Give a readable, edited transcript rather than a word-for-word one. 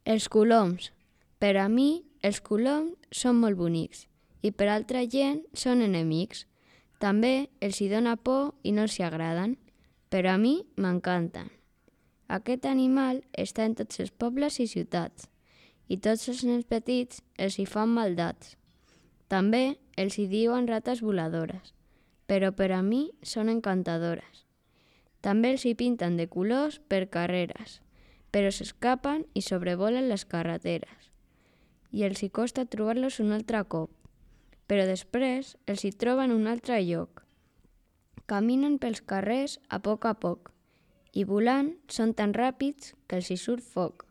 Els coloms. Per a mi, els coloms són molt bonics i per altra gent són enemics. També els hi dóna por i no els hi agraden, però a mi m'encanten. Aquest animal està en tots els pobles i ciutats i tots els nens petits els hi fan maldats. També els hi diuen rates voladores, però per a mi són encantadores. També els hi pinten de colors per carreres, però s'escapen i sobrevolen les carreteres. I els hi costa trobar-los un altre cop, però després els hi troben un altre lloc. Caminen pels carrers a poc i volant són tan ràpids que els hi surt foc.